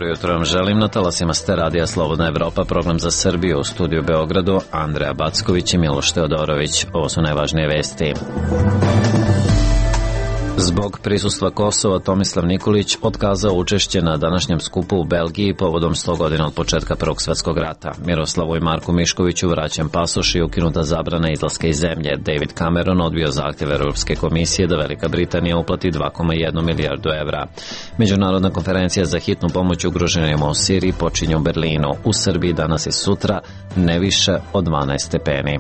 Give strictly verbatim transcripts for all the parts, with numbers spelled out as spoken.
Jutro vam želim, na talasima ste radija Slobodna Evropa, program za Srbiju, u studiju Beogradu, Andreja Backović i Miloš Teodorović. Ovo su najvažnije vesti. Zbog prisustva Kosova, Tomislav Nikolić otkazao učešće na današnjem skupu u Belgiji povodom sto godina od početka Prvog svetskog rata. Miroslavu i Marku Miškoviću vraćen pasoš i ukinuta zabrana izlaska iz zemlje. David Cameron odbio zahtjev Europske komisije da Velika Britanija uplati dva zarez jedan milijardu evra. Međunarodna konferencija za hitnu pomoć ugroženima u Siriji počinje u Berlinu. U Srbiji danas i sutra ne više od dvanaest stepeni.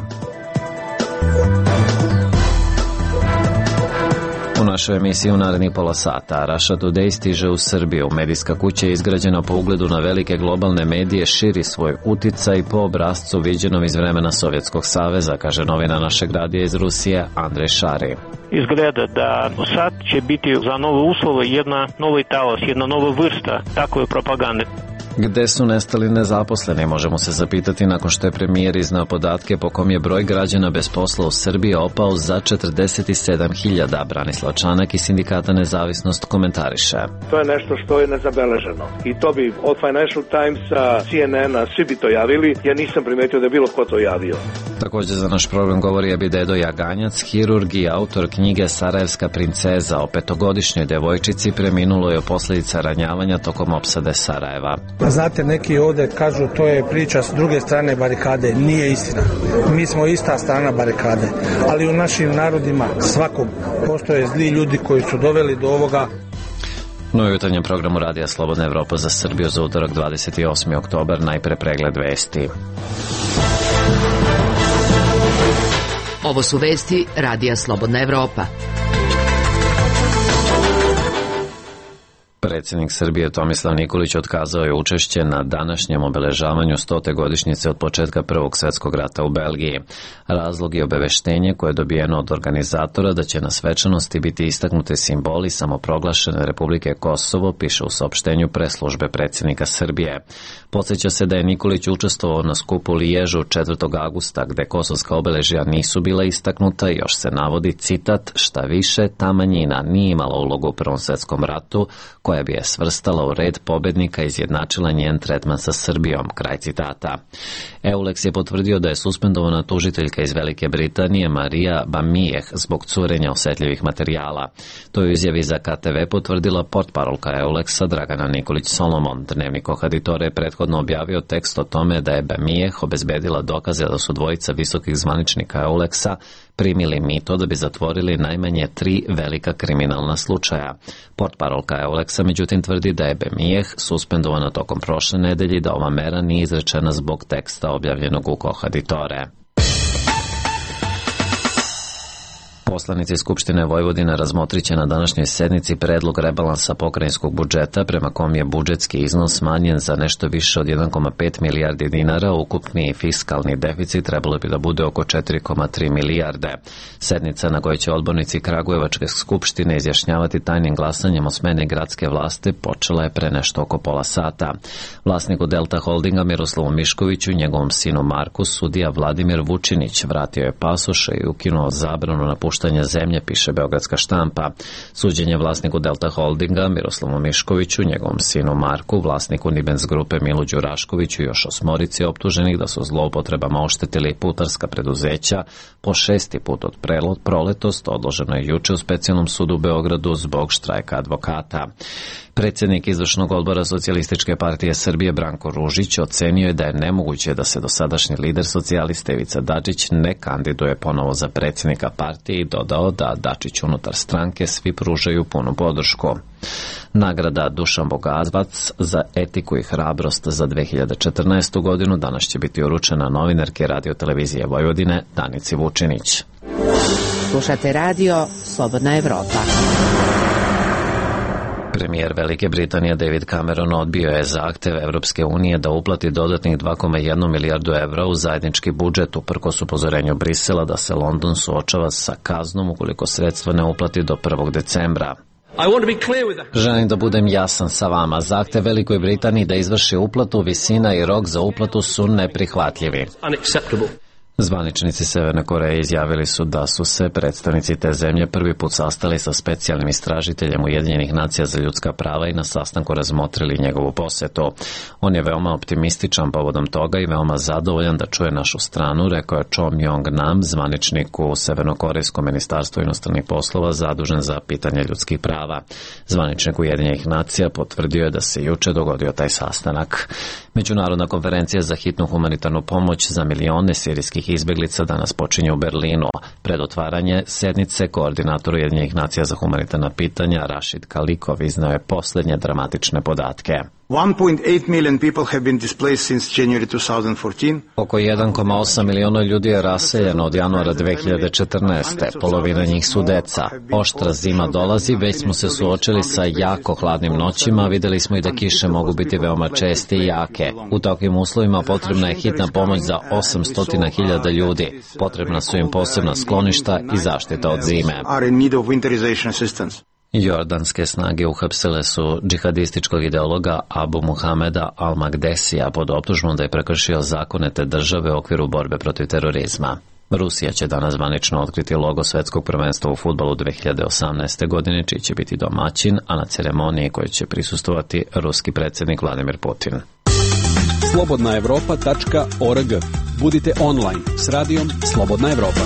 U našoj emisiji u narednih pola sata Russia Today stiže u Srbiju. Medijska kuća je izgrađena po ugledu na velike globalne medije, širi svoj uticaj po obrascu viđenom iz vremena Sovjetskog saveza, kaže novina našeg radija iz Rusije Andrej Šari. Izgleda da sad će biti za nove uslove jedna novi talas, jedna nova vrsta takve propagande. Gde su nestali nezaposleni, možemo se zapitati nakon što je premijer iznao podatke po kom je broj građana bez posla u Srbiji opao za četrdeset sedam hiljada. Branislav Čanak iz Sindikata Nezavisnost komentariše. To je nešto što je nezabeleženo i to bi od Financial Timesa, C N N-a, svi bi to javili, ja nisam primetio da je bilo ko to javio. Također za naš program govori Abidedo Jaganjac, hirurg i autor knjige Sarajevska princeza. O petogodišnjoj devojčici preminulo je posljedica ranjavanja tokom opsade Sarajeva. Znate, neki ovdje kažu to je priča s druge strane barikade. Nije istina. Mi smo ista strana barikade. Ali u našim narodima svakog postoje zli ljudi koji su doveli do ovoga. No u jutarnjem programu Radija Slobodna Evropa za Srbiju za utorak dvadeset osmi oktobar, najpre pregled vesti. Ovo su vesti Radija Slobodna Evropa. Predsjednik Srbije Tomislav Nikolić otkazao je učešće na današnjem obeležavanju stote godišnjice od početka Prvog svjetskog rata u Belgiji. Razlog je obaveštenje koje je dobijeno od organizatora da će na svečanosti biti istaknute simboli samoproglašene Republike Kosovo, piše u saopštenju preslužbe predsjednika Srbije. Podsjeća se da je Nikolić učestvovao na skupu u Liježu četvrtog avgusta, gde kosovska obeležja nisu bila istaknuta, još se navodi, citat, šta više, ta manjina nije imala ulogu u Prvom svjetskom ratu, koja bi je svrstala u red pobednika i izjednačila njen tretman sa Srbijom, kraj citata. Eulex je potvrdio da je suspendovana tužiteljka iz Velike Britanije Marija Bamijeh zbog curenja osjetljivih materijala. To je u izjavi za K T V potvrdila portparolka Eulexa Dragana Nikolić Solomon. Dnevnik Ohaditore je prethodno objavio tekst o tome da je Bamijeh obezbedila dokaze da su dvojica visokih zvaničnika Eulexa primili mito da bi zatvorili najmanje tri velika kriminalna slučaja. Portparolka Eulexa međutim tvrdi da je Bamijeh suspendovana tokom prošle nedelje i da ova mera nije izrečena zbog teksta objavljenog u Kohaditore. Poslanici Skupštine Vojvodine razmotrit će na današnjoj sednici predlog rebalansa pokrajinskog budžeta prema kom je budžetski iznos smanjen za nešto više od jedan zarez pet milijardi dinara, ukupni fiskalni deficit trebalo bi da bude oko četiri zarez tri milijarde. Sednica na kojoj će odbornici Kragujevačke skupštine izjašnjavati tajnim glasanjem o smeni gradske vlasti počela je pre nešto oko pola sata. Vlasniku Delta Holdinga Miroslavu Miškoviću i njegovom sinu Marku sudija Vladimir Vučinić vratio je pasoše i ukinuo zabranu napuštanja zemlje, piše Beogradska štampa. Suđenje vlasniku Delta Holdinga Miroslavu Miškoviću, njegovom sinu Marku, vlasniku Nibens grupe Milu Đuraškoviću i još osmorici optuženih da su zloupotrebama oštetili putarska preduzeća po šesti put od proletost odloženo je juče u specijalnom sudu u Beogradu zbog štrajka advokata. Predsjednik izvršnog odbora Socijalističke partije Srbije Branko Ružić ocenio je da je nemoguće da se dosadašnji lider socijalista Ivica Dačić ne kandiduje ponovo za predsjednika partije i dodao da Dačić unutar stranke svi pružaju punu podršku. Nagrada Dušan Bogavac za etiku i hrabrost za dve hiljade četrnaestu. godinu danas će biti uručena novinarke Radio televizije Vojvodine Danici Vučinić. Slušate radio Slobodna Evropa. Premijer Velike Britanije David Cameron odbio je zahtev Evropske unije da uplati dodatnih dva zarez jedan milijardu evra u zajednički budžet uprkos upozorenju Brisela da se London suočava sa kaznom ukoliko sredstva ne uplati do prvog decembra. Želim da budem jasan sa vama. Zahtev Velikoj Britaniji da izvrši uplatu, visina i rok za uplatu su neprihvatljivi. Zvaničnici Severne Koreje izjavili su da su se predstavnici te zemlje prvi put sastali sa specijalnim istražiteljem Ujedinjenih nacija za ljudska prava i na sastanku razmotrili njegovu posetu. On je veoma optimističan povodom toga i veoma zadovoljan da čuje našu stranu, rekao je Cho Myong-nam, zvaničnik u Severnokorejskom ministarstvu inostranih poslova zadužen za pitanje ljudskih prava. Zvaničnik Ujedinjenih nacija potvrdio je da se juče dogodio taj sastanak. Međunarodna konferencija za hitnu humanitarnu pomoć za milione sirijskih izbeglica danas počinje u Berlinu. Pred otvaranje sednice koordinator Ujedinjenih nacija za humanitarna pitanja Rashid Kalikov iznao je posljednje dramatične podatke. one point eight million people have been displaced since January twenty fourteen. Oko jedan zarez osam miliona ljudi je raseljeno od januara dve hiljade četrnaeste. Polovina njih su deca. Oštra zima dolazi, već smo se suočili sa jako hladnim noćima, videli smo i da kiše mogu biti veoma česte i jake. U takvim uslovima potrebna je hitna pomoć za osamsto hiljada ljudi. Potrebna su im posebna skloništa i zaštita od zime. Jordanske snage uhapsile su džihadističkog ideologa Abu Muhameda al-Magdesija pod optužbom da je prekršio zakone te države u okviru borbe protiv terorizma. Rusija će danas zvanično otkriti logo svetskog prvenstva u fudbalu dve hiljade osamnaeste. godine, čiji će biti domaćin, a na ceremoniji kojoj će prisustvovati ruski predsjednik Vladimir Putin. slobodna evropa tačka org. Budite online s radijom Slobodna Evropa.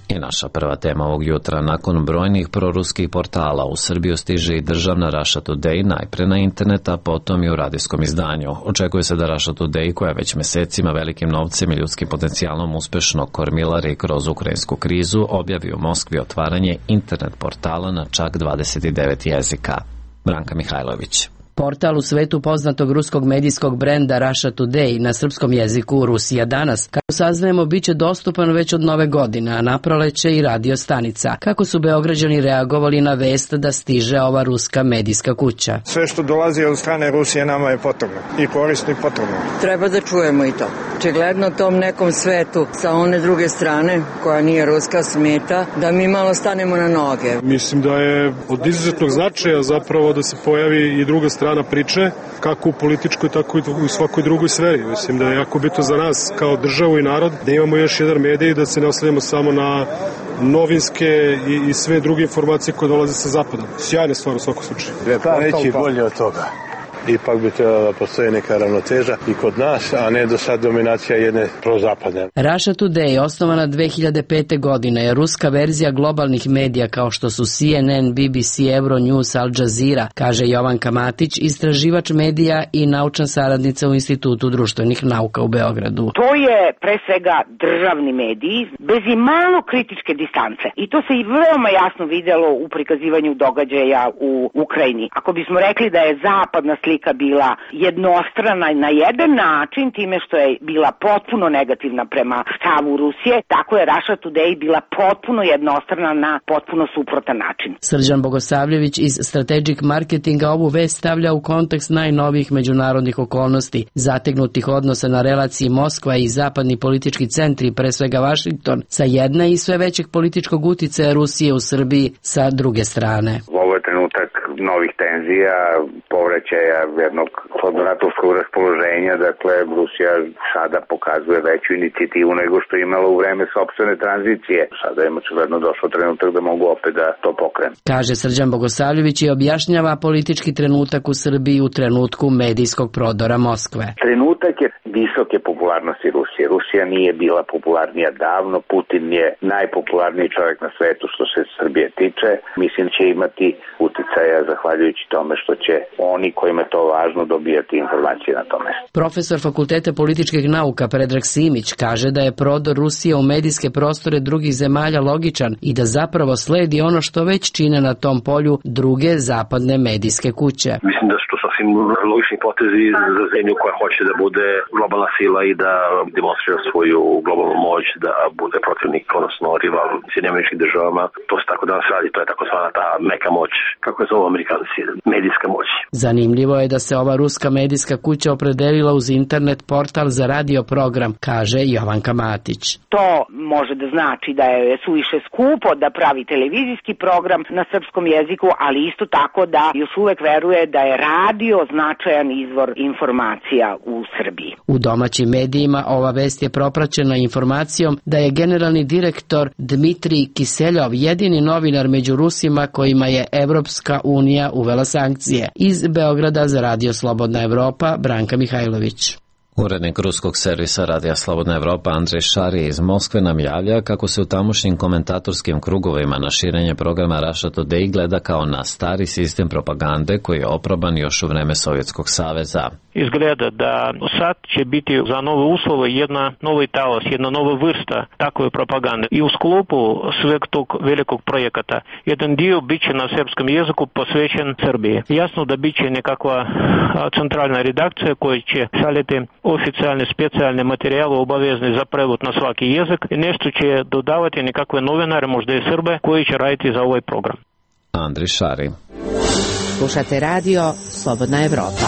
I naša prva tema ovog jutra. Nakon brojnih proruskih portala u Srbiju stiže i državna Russia Today, najpre na internet, a potom i u radijskom izdanju. Očekuje se da Russia Today, koja već mesecima velikim novcem i ljudskim potencijalom uspešno kormilari kroz ukrajinsku krizu, objavi u Moskvi otvaranje internet portala na čak dvadeset devet jezika. Branka Mihajlović. Portal u svetu poznatog ruskog medijskog brenda Russia Today na srpskom jeziku Rusija danas, kako saznajemo, bit će dostupan već od nove godine, a naproleće i radio stanica. Kako su Beograđani reagovali na vest da stiže ova ruska medijska kuća? Sve što dolazi od strane Rusije nama je potrebno i korisno i potrebno. Treba da čujemo i to. Očigledno tom nekom svetu sa one druge strane, koja nije ruska, smeta da mi malo stanemo na noge. Mislim da je od izuzetnog značaja zapravo da se pojavi i druga strana priče, kako u političkoj, tako i u svakoj drugoj sferi. Mislim da je jako bitno za nas kao državu i narod da imamo još jedan medij, da se ne oslanjamo samo na novinske i, i sve druge informacije koje dolaze sa zapada. Sjajna stvar u svakom slučaju. Pa neći bolje od toga. Ipak bi trebala da postoji neka ravnoteža i kod nas, a ne do sad dominacija jedne prozapadne. Russia Today, osnovana dve hiljade pete. godine, je ruska verzija globalnih medija kao što su C N N, B B C, Euronews, Al Jazeera, kaže Jovanka Matić, istraživač medija i naučna saradnica u Institutu društvenih nauka u Beogradu. To je pre svega državni mediji bez i malo kritičke distance. I to se i veoma jasno videlo u prikazivanju događaja u Ukrajini. Ako bismo rekli da je zapadna slika bila jednostrana na jedan način, time što je bila potpuno negativna prema stavu Rusije, tako je Russia Today bila potpuno jednostrana na potpuno suprotan način. Srđan Bogosavljević iz Strategic Marketinga ovu vest stavlja u kontekst najnovijih međunarodnih okolnosti, zategnutih odnosa na relaciji Moskva i zapadni politički centri, pre svega Vašington, sa jedne i sve većeg političkog uticaja Rusije u Srbiji sa druge strane. Ovo je trenutak novih tenzija, povraćaja jednog hladnoratovskog raspoloženja, dakle Rusija sada pokazuje veću inicijativu nego što je imala u vreme sopstvene tranzicije. Sada je očigledno došao trenutak da mogu opet da to pokrenu. Kaže Srđan Bogosavljević i objašnjava politički trenutak u Srbiji u trenutku medijskog prodora Moskve. Trenutak je visoke popularnosti Rusije. Rusija nije bila popularnija davno, Putin je najpopularniji čovjek na svetu što se Srbije tiče. Mislim će imati uticaja zahvaljujući tome što će oni kojima je to važno dobijati informacije na tome. Profesor Fakulteta političkih nauka Predrag Simić kaže da je prodor Rusije u medijske prostore drugih zemalja logičan i da zapravo sledi ono što već čine na tom polju druge zapadne medijske kuće. Mislim da su to sasvim logični potezi za zemlju koja hoće da bude globalna sila i da demonstrira svoju globalnu moć, da bude protivnik, odnosno rival Sjedinjenim Američkim Državama. To se tako danas radi, to je takozvana ta meka moć, kako je zovu Amerikanci, medijska moć. Zanimljivo je da se ova ruska medijska kuća opredelila uz internet portal za radio program, kaže Jovanka Matić. To može da znači da je suviše skupo da pravi televizijski program na srpskom jeziku, ali isto tako da još uvek veruje da je radio značajan izvor informacija u Srbiji. U domaćim medijima ova vest je propraćena informacijom da je generalni direktor Dmitrij Kiseljov jedini novinar među Rusima kojima je Evropska unija uvela sankcije. Iz Beograda za Radio Slobodna Evropa, Branka Mihajlović. Urednik ruskog servisa Radija Slobodna Evropa Andrej Šari iz Moskve nam javlja kako se u tamošnjim komentatorskim krugovima na širenje programa Russia Today gleda kao na stari sistem propagande koji je oproban još u vreme Sovjetskog saveza. Izgleda da sad će biti za nove uslove jedna novi talas, jedna nova vrsta takve propagande. I u sklopu sveg tog velikog projekata jedan dio biće na srpskom jeziku posvećen Srbiji. Jasno da biće nekakva centralna redakcija koja će šaljeti oficijalne specijalne materijale obavezni za prevod na svaki jezik i nešto će dodavati nekakve novinare, možda i Srbe, koji će raditi za ovaj program. Andrej Šari. Slušate radio Slobodna Evropa.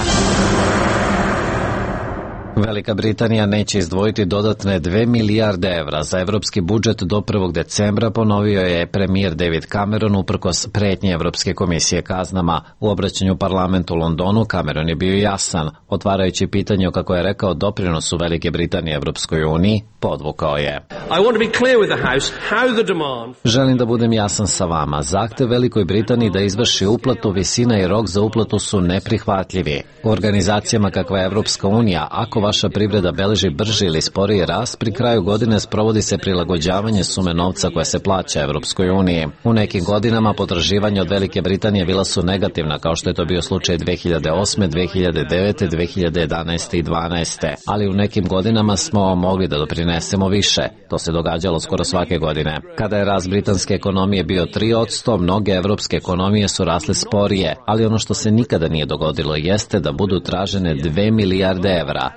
Velika Britanija neće izdvojiti dodatne dve milijarde evra za evropski budžet do prvog decembra, ponovio je premijer David Cameron uprkos pretnje Evropske komisije kaznama. U obraćanju parlamentu u Londonu Cameron je bio jasan, otvarajući pitanje o, kako je rekao, doprinosu Velike Britanije Evropskoj uniji, podvukao je. Želim da budem jasan sa vama. Zahtev Velikoj Britaniji da izvrši uplatu, visina i rok za uplatu su neprihvatljivi. U organizacijama kakva je Evropska unija, ako vaša privreda beleži brži ili sporiji rast, pri kraju godine sprovodi se prilagođavanje sume novca koja se plaća Evropskoj uniji. U nekim godinama potraživanja od Velike Britanije bila su negativna, kao što je to bio slučaj dve hiljade osme, dve hiljade devete, dve hiljade jedanaeste i dvanaeste. Ali u nekim godinama smo mogli da doprinesemo više. To se događalo skoro svake godine. Kada je rast britanske ekonomije bio tri posto, mnoge evropske ekonomije su rasle sporije, ali ono što se nikada nije dogodilo jeste da budu tražene dve milijarde evra.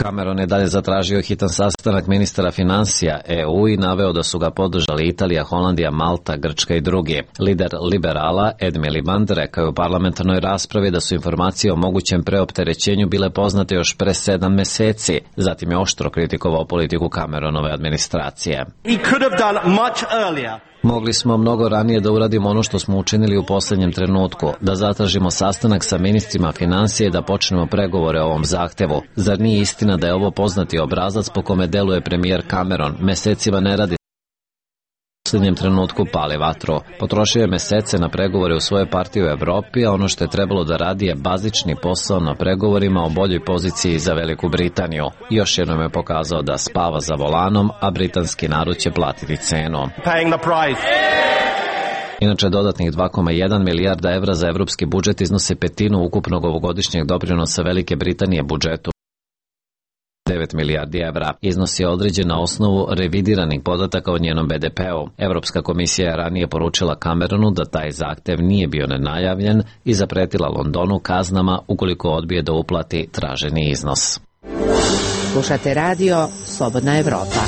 Cameron je dalje zatražio hitan sastanak ministara finansija E U i naveo da su ga podržali Italija, Holandija, Malta, Grčka i drugi. Lider liberala Ed Miliband rekao je u parlamentarnoj raspravi da su informacije o mogućem preopterećenju bile poznate još pre sedam meseci. Zatim je oštro kritikovao politiku Cameronove administracije. Mogli smo mnogo ranije da uradimo ono što smo učinili u posljednjem trenutku, da zatražimo sastanak sa ministrima financije i da počnemo pregovore o ovom zahtevu. Zar nije istina da je ovo poznati obrazac po kome deluje premijer Cameron? Mesecima ne radi, u posljednjem trenutku pali vatru. Potrošio je mesece na pregovore u svojoj partiji u Evropi, a ono što je trebalo da radi je bazični posao na pregovorima o boljoj poziciji za Veliku Britaniju. Još jednom je pokazao da spava za volanom, a britanski narod će platiti cenu. Inače, dodatnih dva zarez jedan milijarda evra za evropski budžet iznose petinu ukupnog ovogodišnjeg doprinosa Velike Britanije budžetu. devet milijardi evra. Iznos je određen na osnovu revidiranih podataka o njenom B D P-u. Evropska komisija je ranije poručila Cameronu da taj zahtev nije bio nenajavljen i zapretila Londonu kaznama ukoliko odbije da uplati traženi iznos. Slušate radio Slobodna Evropa.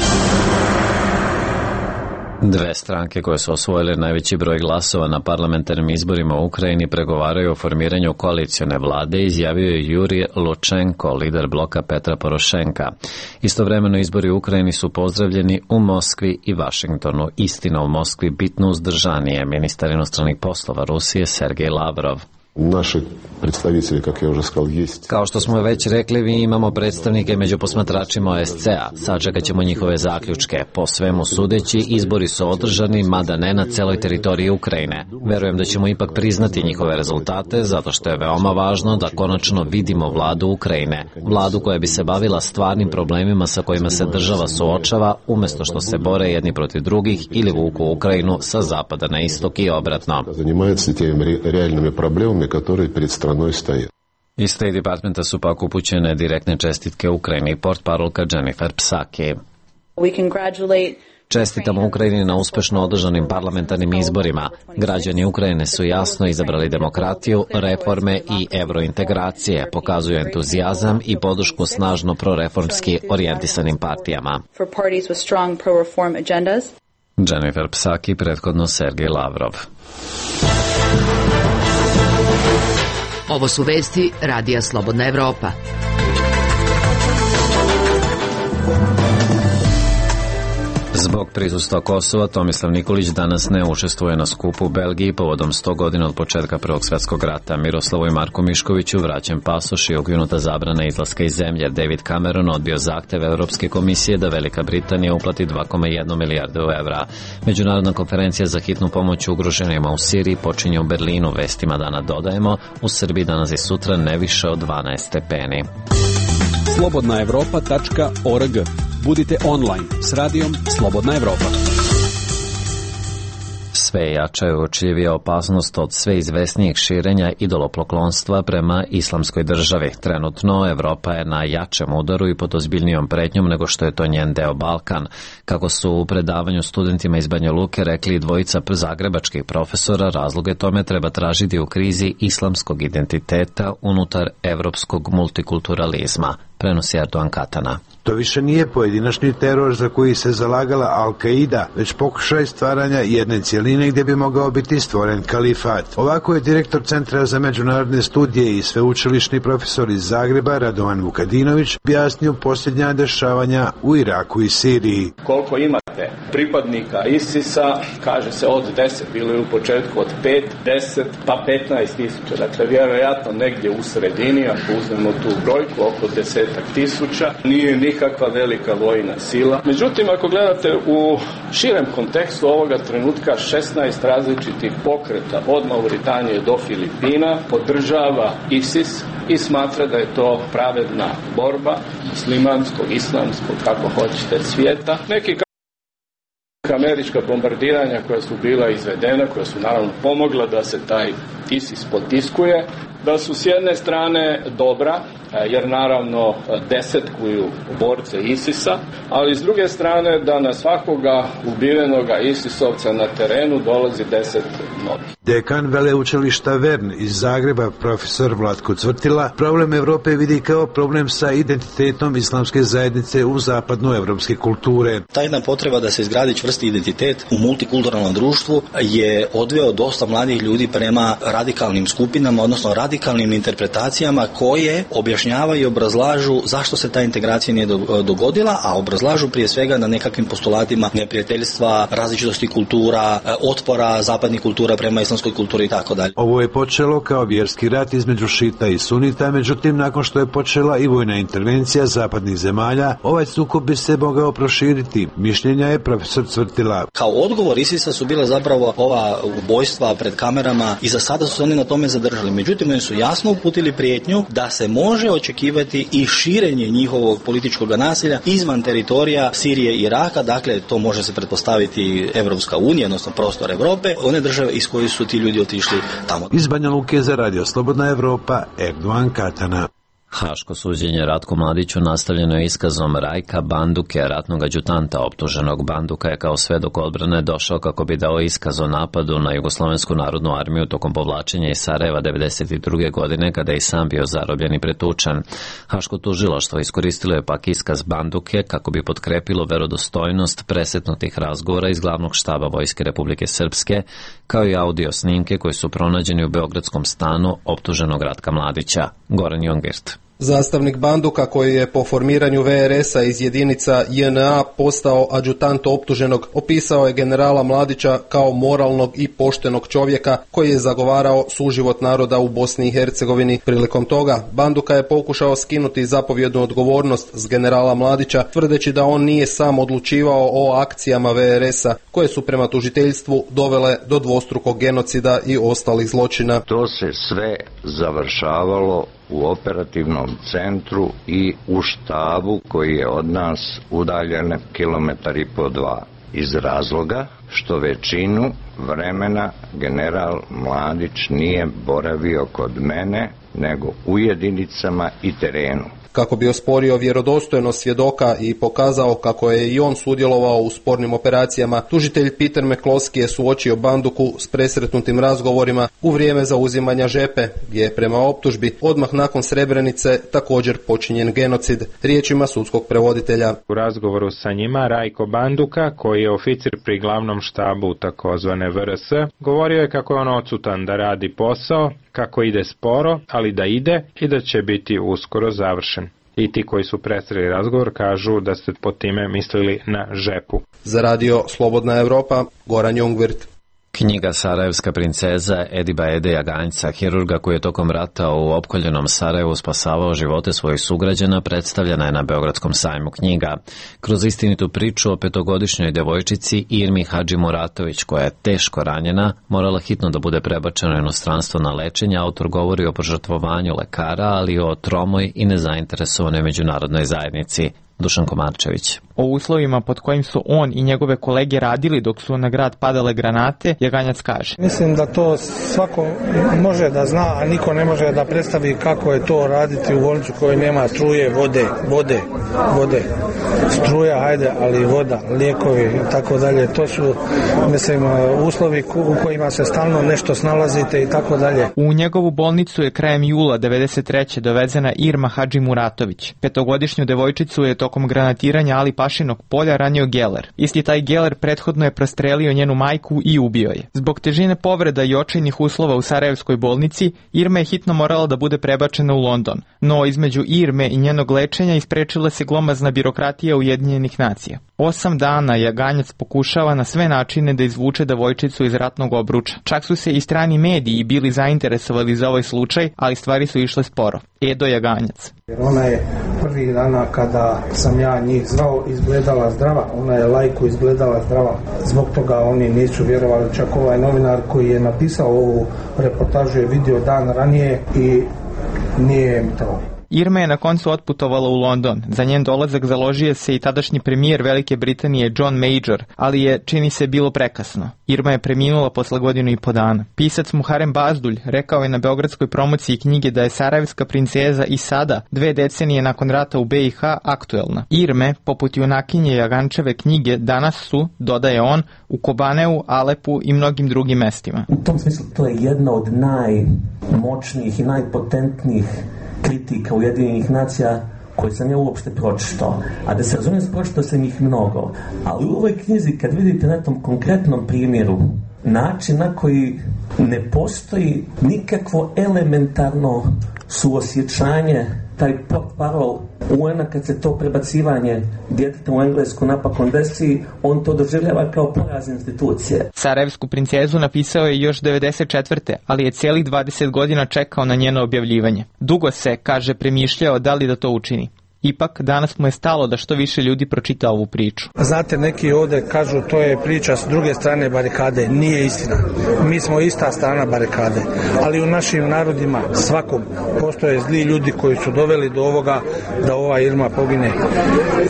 Dve stranke koje su osvojile najveći broj glasova na parlamentarnim izborima u Ukrajini pregovaraju o formiranju koalicione vlade, izjavio je Jurij Lučenko, lider bloka Petra Porošenka. Istovremeno izbori u Ukrajini su pozdravljeni u Moskvi i Vašingtonu. Istina, u Moskvi bitno uzdržanije, ministar inostranih poslova Rusije Sergej Lavrov. Naši predstavitelji, kako je už сказал, jest. Kao što smo već rekli, mi imamo predstavnike među posmatračima O S C-a. Sačekat ćemo njihove zaključke. Po svemu sudeći, izbori su održani, mada ne na celoj teritoriji Ukrajine. Verujem da ćemo ipak priznati njihove rezultate, zato što je veoma važno da konačno vidimo vladu Ukrajine. Vladu koja bi se bavila stvarnim problemima sa kojima se država suočava, umesto što se bore jedni protiv drugih ili vuku Ukrajinu sa zapada na istok i obratno. Zanimaju se temi realnim problemima koji pred stranom stoje. Iz State Departmenta su pak upućene direktne čestitke Ukrajini, portparolka Jennifer Psaki. Čestitamo Ukrajini na uspešno održanim parlamentarnim izborima. Građani Ukrajine su jasno izabrali demokratiju, reforme i evrointegracije, pokazuju entuzijazam i podršku snažno proreformski orijentisanim partijama. Jennifer Psaki, prethodno Sergej Lavrov. Ovo su vesti Radija Slobodna Evropa. Zbog prisustva Kosova, Tomislav Nikolić danas ne učestvuje na skupu u Belgiji povodom sto godina od početka Prvog svjetskog rata. Miroslavu i Marku Miškoviću vraćen pasoš i ukinuta zabrana izlaska iz zemlje. David Cameron odbio zahtev Evropske komisije da Velika Britanija uplati dva zarez jedna milijarde evra. Međunarodna konferencija za hitnu pomoć ugroženima u Siriji počinje u Berlinu. Vestima dana dodajemo, u Srbiji danas i sutra ne više od dvanaest stepeni. slobodna evropa tačka org. Budite online s radijom Slobodna Evropa. Sve jača je uočljivija opasnost od sve izvesnijeg širenja idolopoklonstva prema islamskoj državi. Trenutno Evropa je na jačem udaru i pod ozbiljnijom pretnjom nego što je to njen deo Balkan. Kako su u predavanju studentima iz Banja Luke rekli dvojica zagrebačkih profesora, razloge tome treba tražiti u krizi islamskog identiteta unutar evropskog multikulturalizma, prenosi Erdogan Katana. To više nije pojedinačni teror za koji se zalagala Al-Qaida, već pokušaj stvaranja jedne cijeline gdje bi mogao biti stvoren kalifat. Ovako je direktor Centra za međunarodne studije i sveučilišni profesor iz Zagreba Radovan Vukadinović objasnio posljednja dešavanja u Iraku i Siriji. Koliko imate pripadnika ISIS-a, kaže se od deset, bilo je u početku od pet, deset, pa petnaest tisuća. Dakle, vjerojatno negdje u sredini, ako uzmemo tu brojku, oko desetak tisuća, nije nikakva velika vojna sila. Međutim, ako gledate u širem kontekstu ovoga trenutka, šesnaest različitih pokreta od Mauritanije do Filipina podržava ISIS i smatra da je to pravedna borba muslimanskog, islamskog, kako hoćete, svijeta. Neki američka bombardiranja koja su bila izvedena, koja su naravno pomogla da se taj ISIS potiskuje, da su s jedne strane dobra, jer naravno desetkuju borce ISIS-a, ali s druge strane da na svakoga ubivenoga ISIS-ovca na terenu dolazi deset novih. Dekan veleučilišta Vern iz Zagreba, profesor Vlatko Cvrtila, problem Evrope vidi kao problem sa identitetom islamske zajednice u zapadnoevropske kulture. Ta jedna potreba da se izgradi čvrsti identitet u multikulturalnom društvu je odveo dosta mladih ljudi prema radikalnim skupinama, odnosno radikalnim interpretacijama koje objašnjavaju i obrazlažu zašto se ta integracija nije dogodila, a obrazlažu prije svega na nekakvim postulatima neprijateljstva, različitosti kultura, otpora zapadnih kultura prema islamskoj kulturi i tako dalje. Ovo je počelo kao vjerski rat između šita i sunita, međutim nakon što je počela i vojna intervencija zapadnih zemalja, ovaj sukob bi se mogao proširiti. Mišljenja je profesor Cvrtila. Kao odgovor ISIS-a su bile zapravo ova ubojstva pred kamerama i za sada su se oni na tome zadržali. Međutim, oni su jasno uputili prijetnju da se može očekivati i širenje njihovog političkog nasilja izvan teritorija Sirije i Iraka, dakle to može se pretpostaviti Evropska unija, odnosno prostor Evrope, one države iz koje su ti ljudi otišli tamo. Iz Banja Luke za Radio Slobodna Evropa, Erdogan Katana. Haško suđenje Ratku Mladiću nastavljeno je iskazom Rajka Banduke, ratnog adjutanta optuženog. Banduka je kao svedok odbrane došao kako bi dao iskaz o napadu na Jugoslovensku narodnu armiju tokom povlačenja iz Sarajeva devedeset druge godine, kada je i sam bio zarobljen i pretučen. Haško tužilaštvo iskoristilo je pak iskaz Banduke kako bi potkrepilo verodostojnost presetnutih razgovora iz glavnog štaba Vojske Republike Srpske, kao i audio snimke koji su pronađeni u beogradskom stanu optuženog Ratka Mladića. Goran Jongirt. Zastavnik Banduka, koji je po formiranju V R S-a iz jedinica J N A postao adjutant optuženog, opisao je generala Mladića kao moralnog i poštenog čovjeka koji je zagovarao suživot naroda u Bosni i Hercegovini. Prilikom toga, Banduka je pokušao skinuti zapovjednu odgovornost s generala Mladića, tvrdeći da on nije sam odlučivao o akcijama V R S-a, koje su prema tužiteljstvu dovele do dvostrukog genocida i ostalih zločina. To se sve završavalo u operativnom centru i u štabu koji je od nas udaljen kilometar i po dva. Iz razloga što većinu vremena general Mladić nije boravio kod mene, nego u jedinicama i terenu. Kako bi osporio vjerodostojnost svjedoka i pokazao kako je i on sudjelovao u spornim operacijama, tužitelj Peter McCloskey je suočio Banduku s presretnutim razgovorima u vrijeme zauzimanja Žepe, gdje je prema optužbi odmah nakon Srebrenice također počinjen genocid, riječima sudskog prevoditelja. U razgovoru sa njima Rajko Banduka, koji je oficir pri glavnom štabu takozvane V R S, govorio je kako je on odsutan da radi posao, kako ide sporo, ali da ide i da će biti uskoro završen. I ti koji su presreli razgovor kažu da ste pod time mislili na Žepu. Za radio Slobodna Evropa, Goran Jungwirth. Knjiga Sarajevska princeza Ediba Ede Jaganjca, hirurga koji je tokom rata u opkoljenom Sarajevu spasavao živote svojih sugrađana, predstavljena je na Beogradskom sajmu knjiga. Kroz istinitu priču o petogodišnjoj devojčici Irmi Hadži Muratović, koja je teško ranjena, morala hitno da bude prebačena u inostranstvo na lečenje, autor govori o požrtvovanju lekara, ali i o tromoj i nezainteresovanoj međunarodnoj zajednici. Dušan Komarčević. O uslovima pod kojim su on i njegove kolege radili dok su na grad padale granate, Jaganjac kaže: Mislim da to svako može da zna, a niko ne može da predstavi kako je to raditi u bolnicu kojoj nema struje, vode, vode, vode. Struja, hajde, ali voda, lijekovi i tako dalje. To su, mislim, uslovi u kojima se stalno nešto snalazite i tako dalje. U njegovu bolnicu je krajem jula devedeset treće dovezena Irma Hadži Muratović. Petogodišnju devojčicu je tokom granatiranja Ali Pašinog polja ranio geler. Isti taj geler prethodno je prostrelio njenu majku i ubio je. Zbog težine povreda i očajnih uslova u Sarajevskoj bolnici, Irma je hitno morala da bude prebačena u London. No između Irme i njenog lečenja isprečila se glomazna birokratija Ujedinjenih nacija. Osam dana Jaganjac pokušava na sve načine da izvuče devojčicu iz ratnog obruča. Čak su se i strani mediji bili zainteresovali za ovaj slučaj, ali stvari su išle sporo. Edo Jaganjac. Jer ona je prvih dana kada sam ja njih zvao izgledala zdrava, ona je lajku izgledala zdrava. Zbog toga oni nisu vjerovali, čak ovaj novinar koji je napisao ovu reportažu je vidio dan ranije i nije im to. Irma je na koncu otputovala u London. Za njen dolazak založio se i tadašnji premijer Velike Britanije John Major, ali je, čini se, bilo prekasno. Irma je preminula posle godinu i po dana. Pisac Muharem Bazdulj rekao je na beogradskoj promociji knjige da je Sarajevska princeza i sada, dve decenije nakon rata u B i H, aktuelna. Irme, poput junakinje Jagančeve knjige, danas su, dodaje on, u Kobaneu, Alepu i mnogim drugim mestima. U tom smislu to je jedna od najmoćnijih i najpotentnijih kritika Ujedinjenih nacija koje sam ja uopšte pročitao. A da se razumijem, pročitao sam ih mnogo. Ali u ovoj knjizi, kad vidite na tom konkretnom primjeru način na koji ne postoji nikakvo elementarno suosjećanje, taj portparol U N-a kad se to prebacivanje djeteta u Englesku napakon desi, on to doživljava kao poraz institucije. Sarajevsku princezu napisao je još devedeset četvrte ali je cijelih dvadeset godina čekao na njeno objavljivanje. Dugo se, kaže, premišljao da li da to učini. Ipak, danas mu je stalo da što više ljudi pročita ovu priču. Znate, neki ovdje kažu to je priča s druge strane barikade. Nije istina. Mi smo ista strana barikade. Ali u našim narodima svakom postoje zli ljudi koji su doveli do ovoga da ova Irma pogine.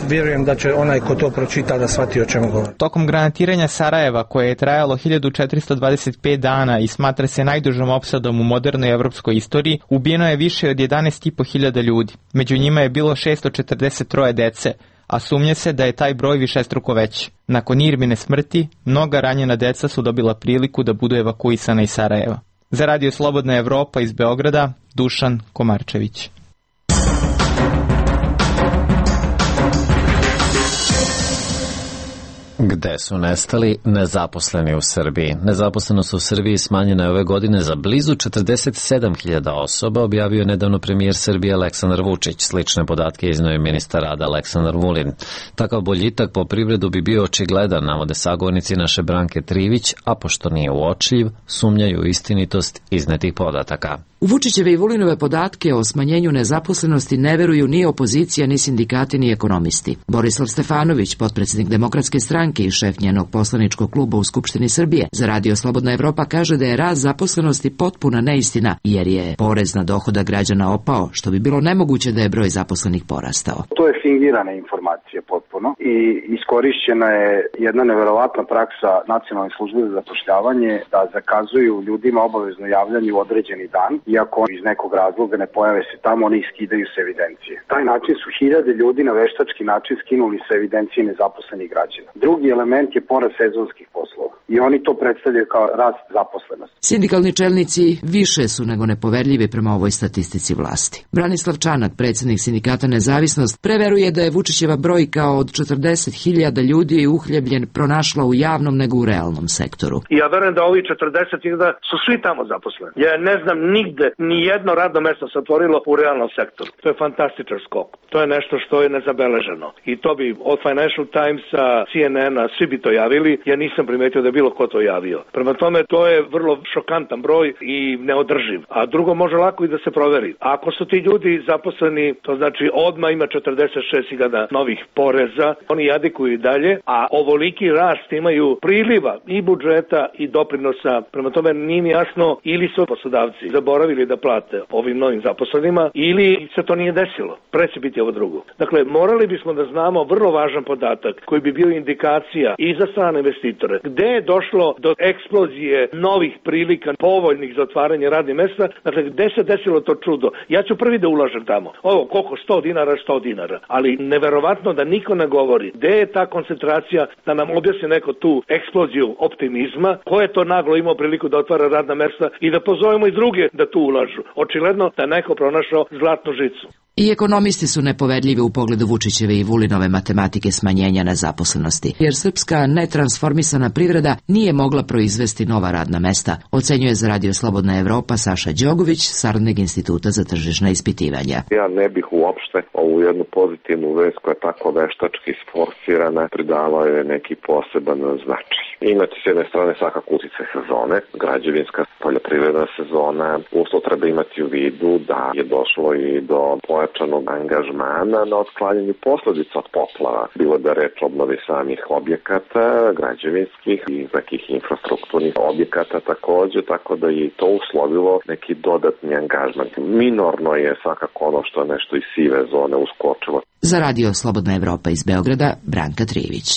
Vjerujem da će onaj ko to pročita da shvati o čemu govori. Tokom granatiranja Sarajeva, koje je trajalo hiljadu četiristo dvadeset pet dana i smatra se najdužom opsadom u modernoj evropskoj istoriji, ubijeno je više od jedanaest i po hiljada ljudi. Među njima je bilo šesto četrdeset troje dece, a sumnje se da je taj broj višestruko veći. Nakon Irmine smrti, mnoga ranjena deca su dobila priliku da budu evakuisana iz Sarajeva. Za radio Slobodna Evropa iz Beograda, Dušan Komarčević. Gde su nestali nezaposleni u Srbiji? Nezaposlenost u Srbiji smanjena je ove godine za blizu četrdeset sedam hiljada osoba, objavio je nedavno premijer Srbije Aleksandar Vučić. Slične podatke izneo je ministar rada Aleksandar Vulin. Takav boljitak po privredu bi bio očigledan, navode sagovornici naše Branke Trivić, a pošto nije uočljiv, sumnjaju u istinitost iznetih podataka. U Vučićeve i Vulinove podatke o smanjenju nezaposlenosti ne veruju ni opozicija, ni sindikati, ni ekonomisti. Borislav Stefanović, potpredsjednik Demokratske stranke, stranke i šef njenog poslaničkog kluba u Skupštini Srbije za Radio Slobodna Evropa kaže da je rast zaposlenosti potpuna neistina, jer je porez na dohodak građana opao, što bi bilo nemoguće da je broj zaposlenih porastao. To je fingirana informacija potpuno i iskorišćena je jedna neverovatna praksa Nacionalne službe za zapošljavanje da zakazuju ljudima obavezno javljanje u određeni dan, iako iz nekog razloga ne pojave se tamo, oni iskidaju se evidencije. Taj način su hiljade ljudi na veštački način skinuli se evidencije nezaposlenih građana. Drugi element je porast sezonskih poslova i oni to predstavljaju kao rast zaposlenosti. Sindikalni čelnici više su nego nepoverljivi prema ovoj statistici vlasti. Branislav Čanak, predsjednik sindikata Nezavisnost, preveruje da je Vučićeva brojka od četrdeset hiljada ljudi uhljebljen pronašla u javnom nego u realnom sektoru. Ja verujem da ovi četrdeset hiljada su svi tamo zaposleni. Ja ne znam nigde ni jedno radno mesto se otvorilo u realnom sektoru. To je fantastičan skok. To je nešto što je nezabeleženo. I to bi od Financial Timesa, C N N-a, svi bi to javili. Ja nisam primetio da je bilo ko to javio. Prema tome, to je vrlo šokantan broj i neodrživ. A drugo, može lako i da se proveri. Ako su ti ljudi zaposleni, to znači odmah ima četrdeset šest hiljada novih poreza, oni jadikuju i dalje, a ovoliki rast imaju priliva i budžeta i doprinosa. Prema tome, nije mi jasno, ili su poslodavci zaboravili da plate ovim novim zaposlenima, ili se to nije desilo. Pre će biti ovo drugo. Dakle, morali bismo da znamo vrlo važan podatak koji bi bio indikacija i za strane investitore. Gde je došlo do eksplozije novih prilika, povoljnih za otvaranje radnih mesta, dakle, gde se desilo to čudo? Ja ću prvi da ulažem tamo. Ovo, koliko? sto dinara, sto dinara. Ali neverovatno da niko ne govori gde je ta koncentracija, da nam objasni neko tu eksploziju optimizma, ko je to naglo imao priliku da otvara radna mesta i da pozovemo i druge da tu ulažu. Očigledno da neko pronašao zlatnu žicu. I ekonomisti su nepoverljivi u pogledu Vučićeve i Vulinove matematike smanjenja nezaposlenosti, jer srpska netransformisana privreda nije mogla proizvesti nova radna mesta, ocenjuje za Radio Slobodna Evropa Saša Đogović, saradnik Instituta za tržišna ispitivanja. Ja ne bih uopšte ovu jednu pozitivnu vest koja je tako veštački sforsirana pridala je neki poseban značaj. Imate s jedne strane svakako uticaj sezone, građevinska poljoprivredna sezona, uslov treba imati u vidu da je došlo i do pojačanog angažmana na otklanjanju posledica od poplava, bilo da reč obnovi samih objekata, građevinskih i nekih infrastrukturnih objekata takođe, tako da je to uslovilo neki dodatni angažman. Minorno je svakako ono što je nešto iz sive zone uskočilo. Za Radio Slobodna Evropa iz Beograda, Branka Trivić.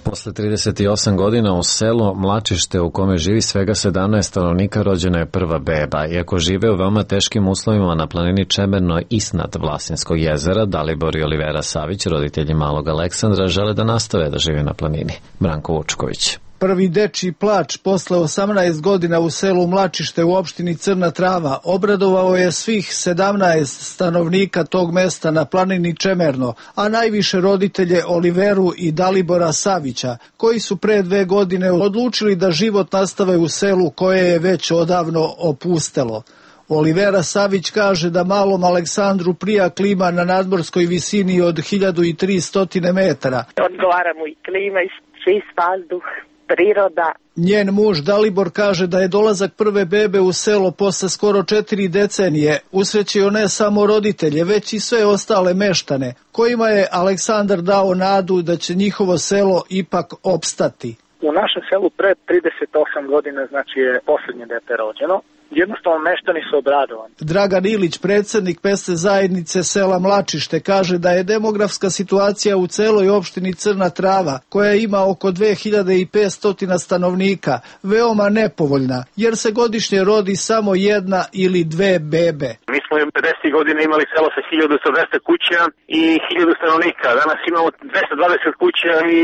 Posle trideset osam godina u selu Mlačište u kome živi svega sedamnaest stanovnika rođena je prva beba. Iako žive u veoma teškim uslovima na planini Čemerno iznad Vlasinskog jezera, Dalibor i Olivera Savić, roditelji malog Aleksandra, žele da nastave da žive na planini. Branko Vučković. Prvi dečiji plač posle osamnaest godina u selu Mlačište u opštini Crna Trava obradovao je svih sedamnaest stanovnika tog mesta na planini Čemerno, a najviše roditelje Oliveru i Dalibora Savića, koji su pre dve godine odlučili da život nastave u selu koje je već odavno opustelo. Olivera Savić kaže da malom Aleksandru prija klima na nadmorskoj visini od hiljadu tristo metara. Odgovara mu i klima i čist vazduh, priroda. Njen muž Dalibor kaže da je dolazak prve bebe u selo posle skoro četiri decenije usrećio ne samo roditelje, već i sve ostale meštane, kojima je Aleksandar dao nadu da će njihovo selo ipak opstati. U našem selu pre trideset osam godina, znači je posljednje dete rođeno. Jednostavno meštani su obradovani. Dragan Ilić, predsjednik mesne zajednice sela Mlačište, kaže da je demografska situacija u celoj opštini Crna Trava, koja ima oko dve hiljade petsto stanovnika, veoma nepovoljna, jer se godišnje rodi samo jedna ili dve bebe. Mi smo u pedesetih godina imali selo sa hiljadu dvesta kuća i hiljadu stanovnika. Danas imamo dvesta dvadeset kuća i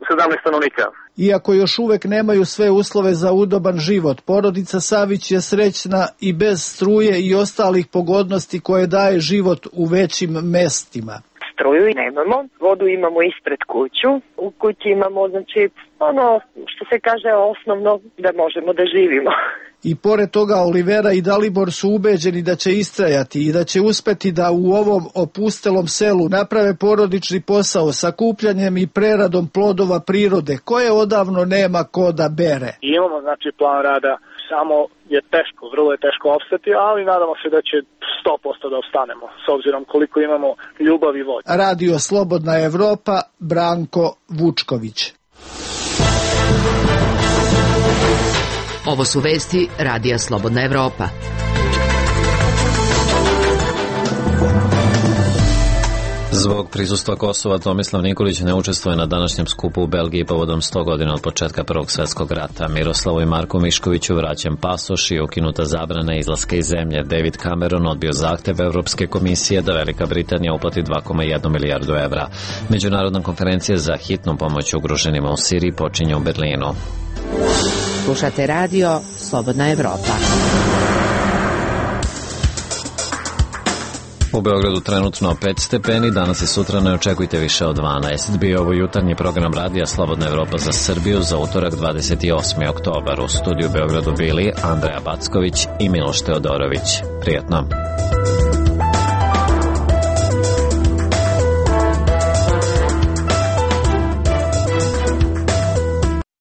sedamnaest stanovnika. Iako još uvek nemaju sve uslove za udoban život, porodica Savić je srećna i bez struje i ostalih pogodnosti koje daje život u većim mestima. Struju nemamo, vodu imamo ispred kuću, u kući imamo, znači, ono što se kaže osnovno da možemo da živimo. I pored toga Olivera i Dalibor su ubeđeni da će istrajati i da će uspeti da u ovom opustelom selu naprave porodični posao sakupljanjem i preradom plodova prirode koje odavno nema ko da bere. I imamo znači plan rada samo je teško, vrlo je teško opstati, ali nadamo se da će sto posto da opstanemo, s obzirom koliko imamo ljubav i volje. Radio Slobodna Evropa, Branko Vučković. Ovo su vesti Radija Slobodna Evropa. Zbog prisustva Kosova, Tomislav Nikolić ne učestvuje na današnjem skupu u Belgiji povodom sto godina od početka Prvog svjetskog rata. Miroslavu i Marku Miškoviću vraćen pasoš i ukinuta zabrana izlaska iz zemlje. David Cameron odbio zahtev Evropske komisije da Velika Britanija uplati dva zarez jedna milijardu evra. Međunarodna konferencija za hitnu pomoć ugroženima u Siriji počinje u Berlinu. Slušate radio Slobodna Evropa. U Beogradu trenutno pet stepeni, danas i sutra ne očekujte više od dvanaest. Bio ovo jutarnji program Radija Slobodna Evropa za Srbiju za utorak dvadeset osmi oktobar. U studiju Beogradu bili Andreja Backović i Miloš Teodorović. Prijetno.